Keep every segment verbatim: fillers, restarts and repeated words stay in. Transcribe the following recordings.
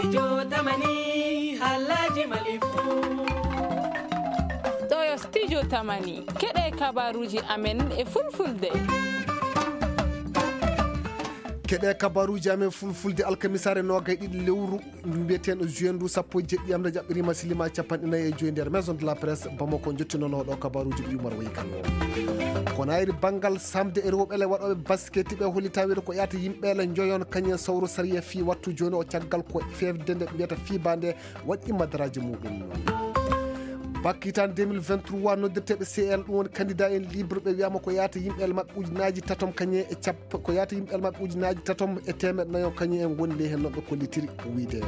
Studio Tamani, halaji mali fu. Ɗo yo Studio Tamani, keɗe kabaruji amen e fulfulde. Keɗe kabaruji amen fulfulde alkamisare nogay ɗiɗi lewru mbiyeteɗo juin ndu sappo e jeɗɗi amde jaɓɓirima silima capanɗe nayi e joyi nder maison de la presse Bamako jottinonoɗo kabaruji ɗi Umar Wayi Kano. Ko nayri banngal samde e rewɓe le waɗoɓe basketi ɓe holli tawede ko yata yimɓe le joyon kañum sawru sariya fi wattu joni o caggal ko fefde nde mbiyata fiba nde waɗi madaraaji muɗum. Bakkitan deux mille vingt-trois noddirteɓe C L ɗum woni candidat en libre ɓe wiyama ko yata yimɓe le maɓɓe ujunaji tatom kañum e cap ko yata yimɓe le maɓɓe ujunaji tatom e temeɗɗe nayo kañum en gondi ley hen noɓɓe kollitiri wiyde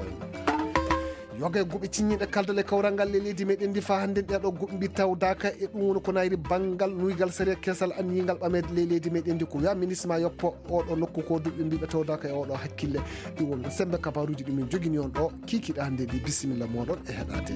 yoga e guɓe ciññiɗe kaldal e kawral ngal e leydi meɗen ndi fa hannde ɗeɗo guɓe mbi tawdaka e ɗum woni ko nayri banngal nuygal sariya kesal anniyingal ɓameede ley leydi meɗen ndi ko wiya ministre ma yoppo oɗo nokku ko duɓe mbiɓe tawdaka e oɗo hakkille ɗi wonno sembe kabaruji ɗumen jogini on ɗo kikiɗa hannde ndi bisimilla moɗon e heɗade.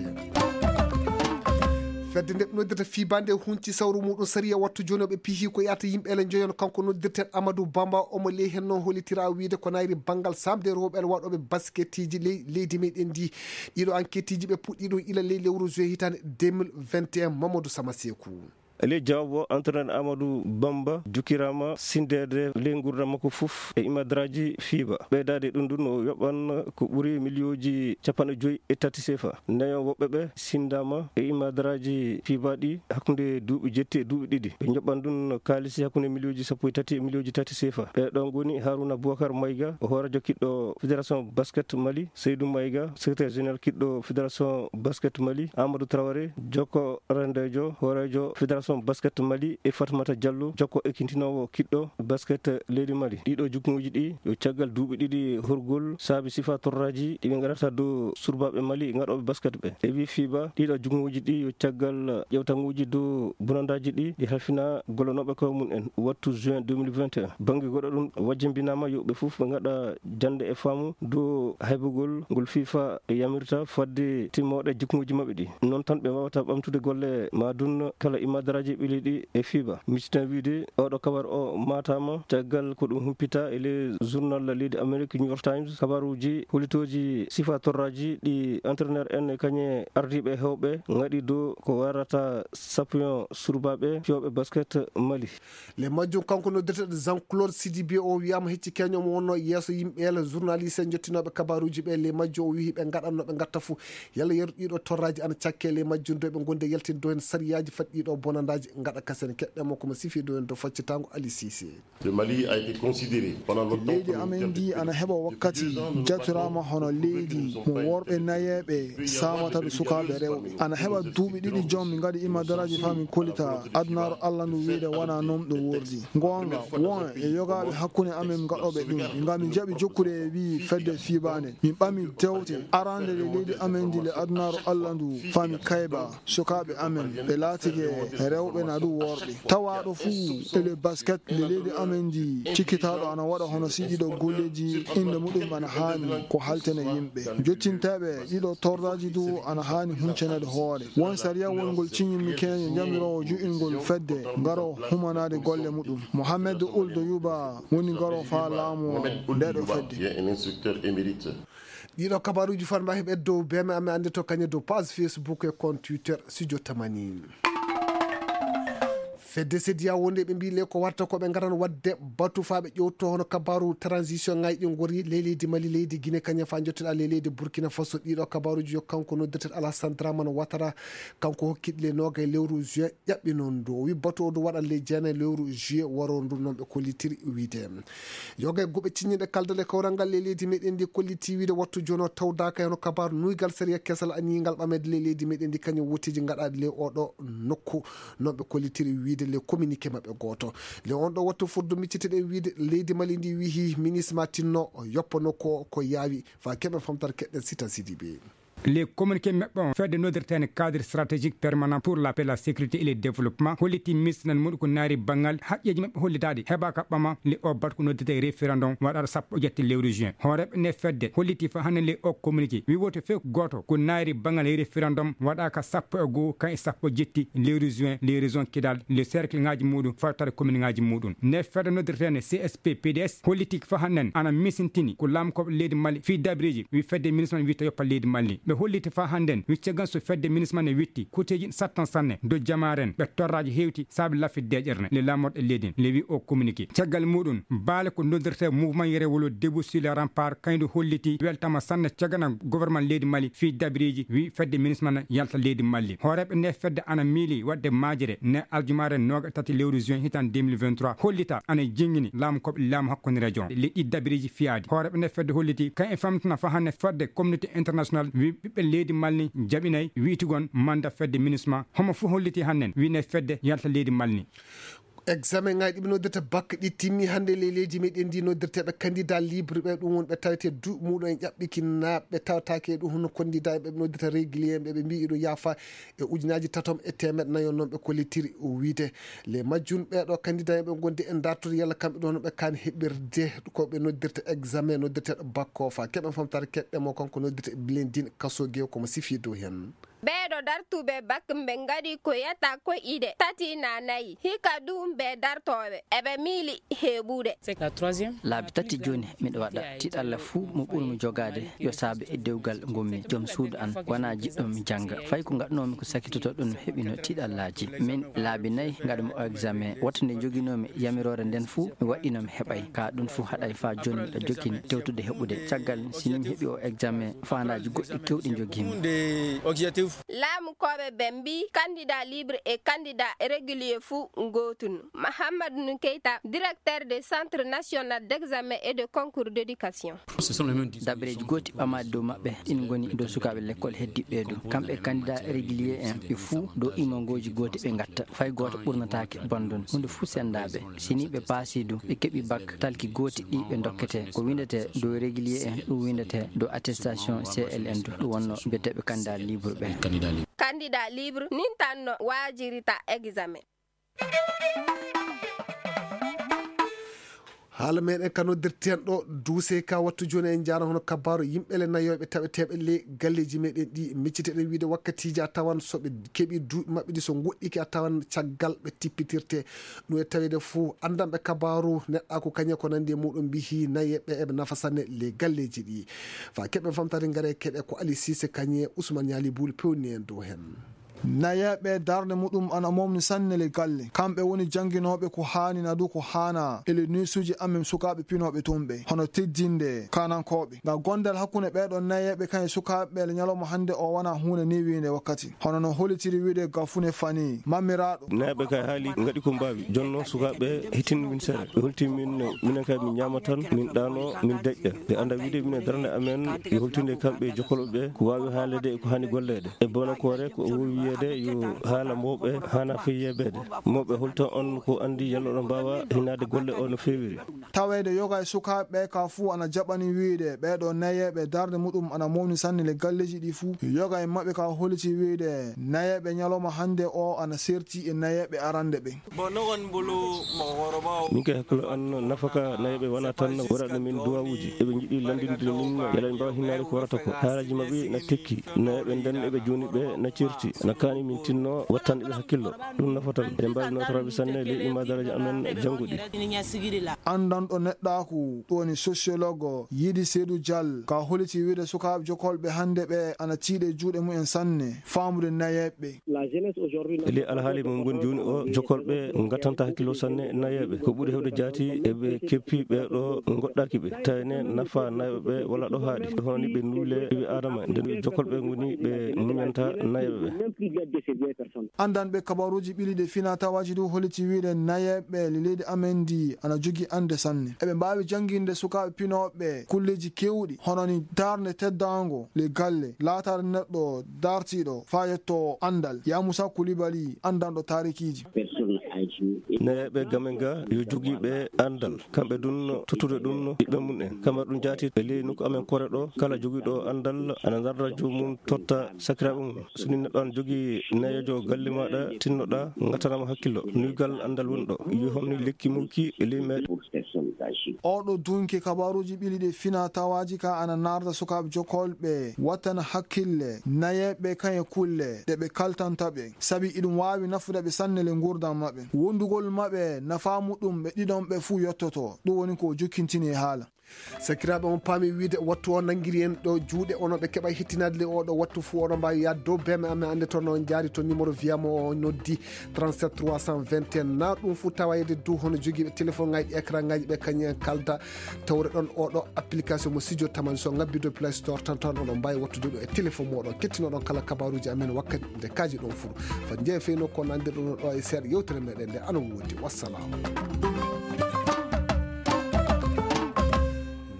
Fedde nde ɓe noddirta fibande hunci sawru muɗum sariya wattu joni oɓe pihi ko yata yimɓe ele joyon kanko noddirten Amadou Bamba omo ley hen noon holitira wiide ko nayri banngal samde rewɓe ele waɗoɓe basketiji ley leydi meɗen ndi. Ɗiɗo enquêteji ɓe puɗɗi ɗum ila ley lewru juin hitande deux mille vingt et un Mamadou Samasekou. Ley jawabo entraîneur Amadou Bamba jukkirama sindede ley gurdam makko fof e imadraji fiba ɓeydade ɗum ɗum o yoɓan ko ɓuri miliyoji capanɗe joyi e tati sefa. Nayo woɓɓe ɓe sindama e imadraji fiba ɗi hakkunde duuɓi jetti e duuɓi ɗiɗi ɓe joɓan ɗum kaalisi hakkunde miliyoji sappo e tati e miliyoji tati sefa. Ɓe ɗon goni Haruna Boubacar Maïga, o hoorejo kiɗɗo fédération basket Mali, Seydou Maïga, secrétaire général kiɗɗo fédération basket Mali, Amadou Traoré, jokko rendejo hoorejo fédération basket Mali, e Fatmata Diallo, jokko ekintinowo kiɗɗo basket leydi Mali. Ɗiɗo jukmuji ɗi yo caggal duuɓi ɗiɗi horgol saabi sifa torraji ɗi ɓe gaɗata dow surbaɓe Mali gaɗoɓe basket ɓe. E wi fiba ɗiɗo jukmuji ɗi yo caggal ƴewtanguji dow bonandaji ɗi ɗi halfina gollonoɓe koye mum en wattu juin deux mille vingt et un. Banggue goɗɗo ɗum wajjimbinama yo ɓe fof ɓe gaɗa jande e faamu dow haybugol ngol fifa yamirta fodde timmoɗe jikmuji maɓɓe ɗi. Noon tan ɓe wawata ɓamtude golle ma dun kala imadaraji ɓili ɗi e fiba. Misitan wiide oɗo kabar o matama caggal ko ɗum humpita e le journal leydi Amérique New York Times kabaruji holitoji sifa torraji ɗi entraîneur en e kañe ardiɓe hewɓe gaɗi dow ko warata sappion surbaɓe fiyooɓe basket Mali. Le majjum kanko noddirteɗo Jean Claude Sidibé o wiyama hecci keño mo wonno yeeso yimɓe ele journaliste en jottinoɓe kabaruji ɓe le majjum o wihi ɓe gaɗanno ɓe gatta fou yalla yeru ɗiɗo torraji ana cakke le majjum do ɓe gonde yaltinde do hen sariyaji fat ɗiɗo bonandaji gaɗa kasen keɗɗe mo komo sifi do hen do faccitango Ali Cissé. Le Mali a été considéré pendant longtemps leydi comme une amen terre ndi de ana heɓa wakkati jatorama hono leydi mo worɓe nayeɓe samata ɗo sukaɓe rewɓe ana heɓa duuɓi ɗiɗi joom mi gaɗi imadaraji fa min kolita adunaro Allah ndu wiide wona noon ɗo wordi gonga won e yogaɓe hakkunde amen gaɗoɓe ɗum ngam mi jaɓi jokkude e wi fedde fibande min ɓami dewte arande le leydi amen ndi le adunaro Allah ndu fa mi kayba sukaɓe amen ɓe laatike rewɓe na ɗum worɓe tawaɗo fuu e le basket le leydi amen ndi cikkitaɗo ana waɗa hono si ɗiɗo golleji inde muɗum ana haani ko haltene yimɓe jottinteɓe ɗiɗo torraji du ana haani huncanede hoore won sariya wongol ciñimmi keño jamirowo ju'ingol fedde ngaro humanade golle muɗum mohammed uldo yuba woni ngaro fa laamu ndeɗo fedde. Ɗiɗo kabaruji fanma heɓe dow beme amen ande to kañe dow page facebook e compte twitter studio tamani. Fedde sediya wonde ɓe mbi le ko watta ko ɓe garan wadde batu fa ɓe ƴewto hono kabaru transition ngaji ɗi gori ley leydi mali leydi guine kañum fa jotteɗa ley leydi burkina faso ɗiɗo kabaruji yo kanko noddirten alassane draman watara kanko hokkiɗi le nogay lewru juin ƴaɓɓi noon ndu o wi batu o ndu waɗan ley jeenayi lewru juillet waro ndu noon ɓe kollitiri wiide yoga e guɓe ciññiɗe kaldal e kawral ngal ley leydi meɗen ndi kolliti wiide wattu jono tawdaka heno kabaru nuygal sariya kesal aniyingal ɓamede ley leydi meɗen ndi kañum wotiji gaɗaɗi ley oɗo nokku noon ɓe kollitiri wiide le communiqué maɓɓe goto le on ɗo wattu foddu micciteɗen wiide leydi mali ndi wihi ministre ma tinno yoppa nokku o ko yaawi fa keɓen famtata keɗɗen sita sidibe Les communiqué maɓɓe on, fedde noddirteende cadre stratégique permanent pour la paix, la sécurité et le développement, holliti misnan muɗum ko naari banngal haqqeeji maɓɓe hollitaade heɓaaka ɓama le o bat ko noddete référendum waɗaɗo sappo e jetti lewru juin. Hooreeɓe nde fedde holliti fa hannde le o communiqué wi woto few gooto ko naari banngal référendum waɗaaka sappo e goo kan e sappo e jetti lewru juin, les régions kidal le cercle ngaji muɗum fawtare commune ngaji muɗum. Nde fedde noddirteende C S P P D S holliti fa hannde ana misintini ko laamkooɓe leydi Mali fii dabreeji wi fedde ministre man witta yoppa leydi Mali. Ɓe holliti fa hannde wi caggal so fedde ministre man e witti kuteeji sattan sanne do jamaaren ɓe torraaji hewti saabi lafi deeƴere le laamorɗe leydi le wi o communiqué. Caggal muɗum baale ko noddirte mouvement yere wolo debout sur le rempart kaydu holliti weltama sanne cagana gouvernement leydi Mali fii dabreeji wi fedde ministre man yalta leydi Mali. Hooreeɓe nde fedde ana miili waɗde maajere ne aljumaare nooga tati lewru juin hitan deux mille vingt-trois hollita ana jingini laamu koɓe laamu hakkunde région le ɗi dabreeji fiyaadi. Hooreeɓe nde fedde holliti kan e famtina fa hannde fedde communauté international wi ɓiɓɓe leydi Mali jaɓinay wi'tugon manda fedde ministre ma homo fof holliti hannde wi nde fedde yalta leydi Mali. Examen ngaji ɗiɓe noddirta bak ɗi timmi hannde ley leydi meɗen ndi noddirteɓe candidat libre ɓe ɗum won ɓe tawete duuɓi muɗum en ƴaɓɓiki na ɓe tawtake e ɗum hono candidat ɓe noddirta régulier ɓe ɓe mbi iɗo yaafa e ujunaji tatom e temeɗe nayo noon ɓe kollitiri o wiide le majjun ɓeɗo candidat ɓe gondi e dartude yalla kamɓe ɗon ɓe kan heɓirde ko ɓe noddirta examen noddirteɗo bak o fa keɓen famtare keɗɗe mo kanko noddirta blendin kaso gew komo sifi dow hen. Ɓeeɗo dartuɓe bak ɓe ngaɗi ko yata ko ide tati na nayi hika ɗum ɓe dartooɓe eɓe miili heɓude. Laabi tati jooni miɗo waɗa tiɗalla fuu mo ɓurmi jogaade yo saabe e dewgal ngonmi joom suudu an wona jiɗɗo mi jannga fay ko ngaɗnoomi ko sakitoto ɗum heɓino tiɗallaaji min laabi nayi ngaɗmi o examen woto nde joginoomi yamiroore nden fuu mi waɗino mi heɓay ka ɗum fuu haɗay faa jooni miɗo jokkini tewtude heɓude caggal si min heɓi o examen faandaaji goɗɗi kewɗi njogiimi. Laamu koɓe ɓe mbi candidat libre e candidat régulier fuu ngootun. Mahamadou Keita, directeur de centre national d'examen et de concours d'éducation. Dabreeji gooti ɓamaade dow maɓɓe ɗin ngoni dow sukaaɓe lekkol heddiɓe du kamɓe candidat régulier en ɓe fuu dow imongooji gooti ɓe ngatta fay gooto ɓurnataake bandun huunde fuu sendaaɓe si ni ɓe paasi du ɓe keɓi bak talki gooti ɗi ɓe dokkete ko windete dow régulier en ɗum windete dow attestation C L N du ɗum wonno mbiyeteeɓe candidat libre ɓe. Candidat libre nin tan no waajirita examen. Haala meɗen ka noddirten ɗo duuse ka wattu joni en jara hono kabaru yimɓe le nayoɓe taweteɓe le galleji meɗen ɗi micciteɗen wiide wakkatiji a tawan soɓe keɓi duuɓi maɓɓe ɗi so goɗɗiki a tawan caggal ɓe tippitirte. Ɗum e tawede fo andanɓe kabaru neɗɗa ko kañe ko nandi e muɗum mbihi nayeɓe eɓe nafa sanne le galleji ɗi fa keɓen famtare gare keɗe ko Ali Sise kañe Ousmane Ñali Bul pewni en dow hen. Nayeeɓe darnde muɗum ana momni sanne le galle kamɓe woni jannginooɓe ko haani na du ko haana e le nuisuuji amen sukaaɓe pinooɓe tumɓe hono teddinde kaanankooɓe ngam gondal hakkunde ɓeeɗo nayeeɓe kan e sukaaɓe le ñalawma hannde o wona huunde newiinde wakkati hono no holitiri wiide gafune fani mammiraaɗo. Nayeeɓe kay haali ngaɗi ko mbaawi jonno sukaaɓe hittin min sere ɓe holti min minen kay min ñaama tan min ɗaano min deƴƴa ɓe annda wiide minen darnde amen yo holtinde kamɓe jokkolɓe ɓe ko waawi haalede e ko haani golleede e bonakoore ko o wowi wiyeede yo haala mawɓe haana feyyebeede mawɓe holto on ko anndi yalla oɗon mbaawa hinaade golle o no feewiri. Taweede yoga e sukaaɓe ɓe ka fuu ana jaɓani wiide ɓeeɗo nayeeɓe darnde muɗum ana mawni sanne le galleeji ɗi fuu yoga e maɓɓe ka holiti wiide nayeeɓe ñalawma hannde o ana serti e nayeeɓe arande ɓe. Min kay hakkilo an nafaka nayeɓe wona tan waɗaɗo min duwawuji eɓe jiɗi landinde min yala ɓe mbawa hinnaade ko warata ko haalaji maɓɓe na tekki nayeɓe nden eɓe joni ɓe na certi na kani min tinno wattande ɓe hakkillo. Ɗum nafatan eɗen mbawi notoraɓe sanne ley ɗumma daraja amen jannguɗi. Andanɗo neɗɗaku ɗoni sociologue yiɗi seedu dial ka holiti wiide sukaaɓe jokolɓe hannde ɓe ana tiiɗe juuɗe mumen sanne faamude nayeɓɓe. E ley alhaali mo ngoni jooni o jokolɓe ngattanta hakkillo sanne nayeeɓe ko ɓuri hewde jaati eɓe keppi ɓeeɗo goɗɗaki ɓe tawne nafa nayeeɓe wala ɗo haaɗi hono ni ɓe nuule ɓiɓe adama nde jokolɓe ngoni ɓe muñanta nayeeɓe ɓe. Andanɓe kabaruji ɓiliɗe fina tawaji du holiti wiide nayeeɓe leydi amen ndi ana jogi ande sanne eɓe mbawi janginde sukaɓe pinoɓe kulleji kewɗi hono ni darde teddango le galle laatare neɗɗo dartiɗo fa yetto andal yamusa kulibali andanɗo tarikiji. Nayeeɓe gamen ga yo jogiiɓe anndal, kamɓe dun tottude ɗum ɓiɓɓe mum en. Kamar ɗum jaati e ley nokku amen Kore ɗo, kala jogiiɗo anndal ana darra joomum totta sakiraaɓe mum. So ni neɗɗo ana jogii nayeejo galle maaɗa, tinnoɗaa, ngattanama hakkillo. Nuygal anndal woni ɗo. Yo homni lekki mawki e ley meɗen. Oɗo dunki kabaruji ɓili ɗe fina tawaji ka ana narda sukaaɓe jokolɓe wattana hakkille nayeɓe kan e kulle ɗe ɓe kaltanta ɓe, sabi iɗum waawi nafude ɓe sanne le ngurdam maɓɓe. Wondugol maɓɓe nafa muɗum ɓe ɗiɗon ɓe fuu yottoto. Ɗum woni ko o jokkintini e haala. Sakiraaɓe, on paami wiide wattu o nanngiri en ɗo juuɗe, onon ɓe keɓa hettinaade le oɗo wattu fuu, oɗon mbaawi yaade dow beeme amen, annde toon on njaari to numéro wiyamo o noddi trente-sept trois cent vingt et un, na ɗum fuu tawa yeede dow hono jogiiɓe téléphone ŋaaji, écran ŋaaji ɓe, kañum en kalda tawre ɗon oɗo application mo Studio Tamani, so ŋabbi dow Play Store tan, tan oɗon mbaawi wattude ɗum e téléphone mooɗon, kettinoɗon kala kabaruuji amen wakkati nde kaaji ɗon fuu. Fat njeeya feyno ko nandirɗon ɗo e seeɗa yewtere meɗen nde ana woodi. Wassalaamu.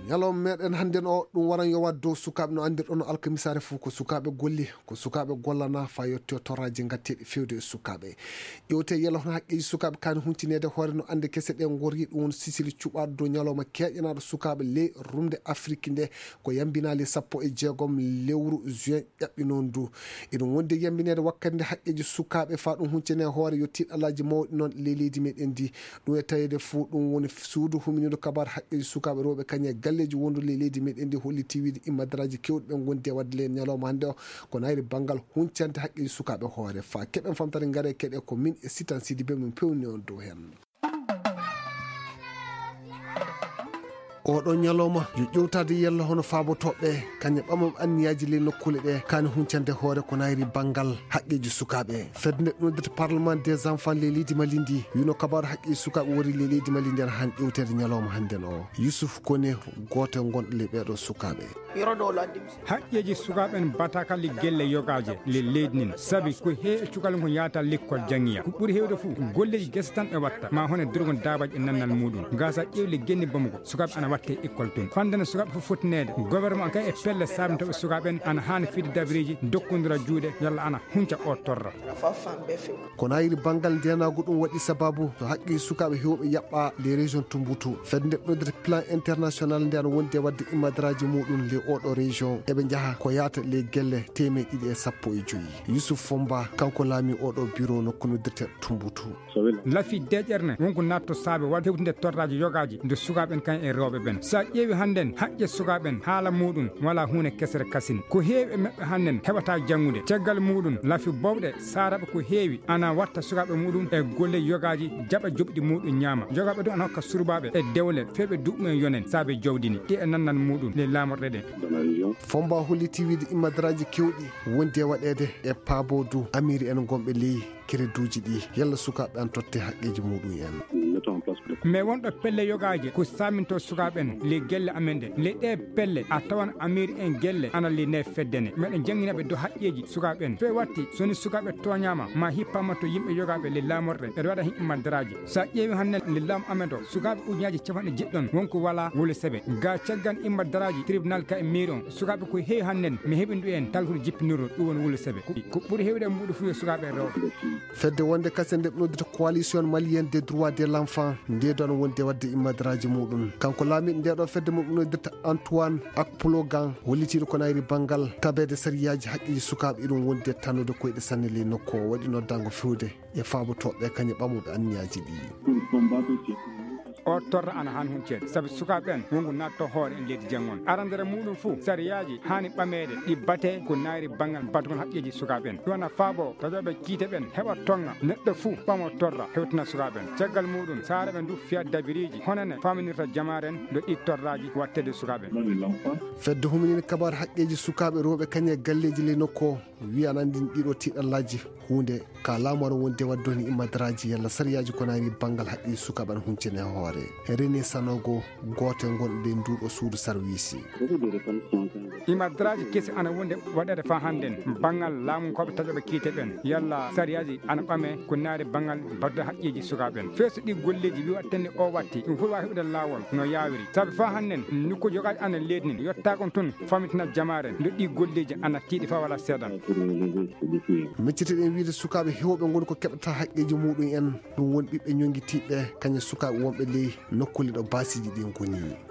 Ñalawma meɗen hannden o, ɗum waran yowaade dow sukaaɓe, no anndirɗon no alkamisaare fuu ko sukaaɓe golli, ko sukaaɓe gollana faa yotti o torraaji ngatteeɗi fewde e sukaaɓe. Ƴewte yelo hono haqqeeji sukaaɓe kaani huncineede hoore no annde kese ɗe ngorri, ɗum woni sisili cuɓaaɗo dow ñalawma keeƴanaaɗo sukaaɓe ley rumde Afrik nde, ko yambinaali sappo e jeegom lewru juin ƴaɓɓi noon du. Eɗum wondi e yambineede wakkati nde haqqeeji sukaaɓe faa ɗum huncine hoore yo tiiɗalaaji mawɗi noon ley leydi meɗen ndi. Ɗum e taweede fuu ɗum woni suudu huminiiɗo kabaar haqqeeji sukaaɓe rewɓe kañum e galleeji wonduɗi ley leydi meɗen ndi holliti wiide immadaraaji keewɗi ɓe ngondi e waɗde ley ñalawma hannde o. Ko nayri banngal huncande haqqeeji sukaaɓe hoore faa keɓen famtare ngare keɗe ko min e Sitan Sidibe min pewni on dow heen. Oɗo ñalawma yo ƴewtaade yella hono faabotooɓe kañum ɓamam anniyaaji ley nokkuule ɗe kaani huncande hoore ko nayri banngal haqqeeji sukaaɓe. Fedde nde ɗum noddirta Parlement des enfants ley leydi Mali ndi wino kabaaru haqqeeji sukaaɓe wori ley leydi Mali ndi ana han ƴewteede ñalawma hannden o. Yusuf Kone gooto e gonɗo ley ɓeeɗo sukaaɓe. Haqqeeji sukaaɓe en bataaka le gelle yogaaje le leydi nin, sabi ko heewi e cukalel ngol yaata lekkol janngiya. Ko ɓuri heewde fof golleeji gese tan ɓe watta, ma hono durgol daabaji e nannal muɗum. Gasa ƴeewi le genni Bamako, sukaaɓe ana watte école tun. Fandana sukaaɓe fof fottineede, gouvernement kay e pelle saabintooɓe sukaaɓe en ana haani fide dabireeji dokkondira juuɗe yalla ana hunca o torra. Ko nayri banngal ndeenaagu ɗum waɗi sababu to haqqi sukaaɓe heewɓe yaɓɓa les régions Tumbutu. Fedde nde noddirta plan international nde ana wondi e waɗde immadaraaji muɗum le oɗo région. Eɓe njaha ko yaata les gelle teemeɗe ɗiɗi e sappo e joyi. Yusuf Fomba, kanko laami oɗo bureau nokku noddirte Tumbutu. Lafi deƴƴere ne wonko natto saabe waɗde hewtinde torraaji yogaaji nde sukaaɓe en kan e rewɓe ɓen. So a ƴeewi hannden haqqe sukaaɓe en haala muɗum wala huunde kesere kasin. Ko heewi e maɓɓe hannden heɓata janngude. Caggal muɗum lafi bowɗe saaraɓe ko heewi ana watta sukaaɓe muɗum e golle yogaaji jaɓa joɓɗi muɗum ñaama. Yogaaɓe ɗum ana hokka surbaaɓe e dewle fewɓe duɓɓum en yonen saabe jawdi ni. Ɗi e nannal muɗum le laamorɗe ɗe. Fomba holliti wiide immadaraaji keewɗi wondi e waɗeede e paaboodu amiri en gonɓe ley kereduuji ɗi, yalla sukaaɓe an totte haqqeeji muɗum en. Mais wonɗo pelle yogaaje ko saaminto sukaaɓe en le gelle amen ɗe. Le ɗe pelle a tawan amiri en gelle ana le nde fedde ne. Meɗen janngina ɓe dow haqqeeji sukaaɓe en. Fe watti so ni sukaaɓe tooñaama ma hippama to yimɓe yogaaɓe le laamorɗe, ɓeɗe waɗa heen immadaraaji. So a ƴeewi hannden le laamu amen ɗo, sukaaɓe ujunaaji capanɗe jeɗɗi ɗon wonko wala wole sebe. Ga caggal immadaraaji tribunal ka e mairie on, sukaaɓe ko heewi hannden mi heɓindu en talhude jippinirɗo ɗum woni wole sebe. Ko, ko ɓuri heewde e mbuɗu fuyo sukaaɓe e rewɓe. Fedde wonde kasen nde ɓe noddita Coalition Malienne des Droits de l'Enfant, nde ɗon wonde waɗde immadaraaji muɗum. Kanko laamiiɗo nde ɗo fedde mo ɓe noddirta Antoine Akpologan, hollitiiɗo ko nayri banngal tabeede sariyaaji haqqeeji sukaaɓe, iɗum wondi e tannude koyɗe sanne ley nokku o, waɗi noddaango fewde e faabotooɓe kañum ɓamuɓe anniyaaji ɗi. O torra ana han hunceede, sabi sukaaɓe en wonko natto hoore en leydi janngon. Arandere muɗum fuu, sariyaaji haani ɓameede ɗi bate ko nayri banngal batugol haqqeeji sukaaɓe en. Ɗum ana faabo taƴooɓe kiite ɓen heɓa tonga neɗɗo fuu ɓamo torra hewtina sukaaɓe en. Caggal muɗum, saare ɓe ndu fiya dabiriiji honene faminirta jamaare en no ɗi torraaji wattede sukaaɓe en. Fedde huminini kabaar haqqeeji sukaaɓe rewɓe kañum e galleeji ley nokku o. Wiya ana anndini ɗiɗo tiiɗallaaji huunde ka laamu ara wonde waɗde woni immadaraaji yalla sariyaaji ko nayni banngal haqqeeji sukaaɓe ana huncine e hoore. Rene Sanogo, gooto e gonɗe e nduuɗo suudu sarwiisi. Ima daraaji kesi ana wonde waɗeede faa hannden banngal laamunkooɓe taƴooɓe kiite ɓen, yalla sariyaaji ana ɓame ko naari banngal baddude haqqeeji sukaaɓe ɓen. Feesu ɗi golleeji wi waɗtende o watti ɗum foti waawi heɓude laawol no yaawiri. Sabi faa hannden nokkuuji yogaaji ana leydi ndin yottaako tun famitina jamaare nde ɗi golleeji ana tiiɗi faa wala seedan. Miccitiɗen wiide sukaaɓe heewɓe ngoni ko keɓata haqqeeji muɗum en, ɗum woni ɓiɓɓe ñonngitiiɓe kañum sukaaɓe wonɓe ley nokkuule ɗo baasiiji ɗin ngoni.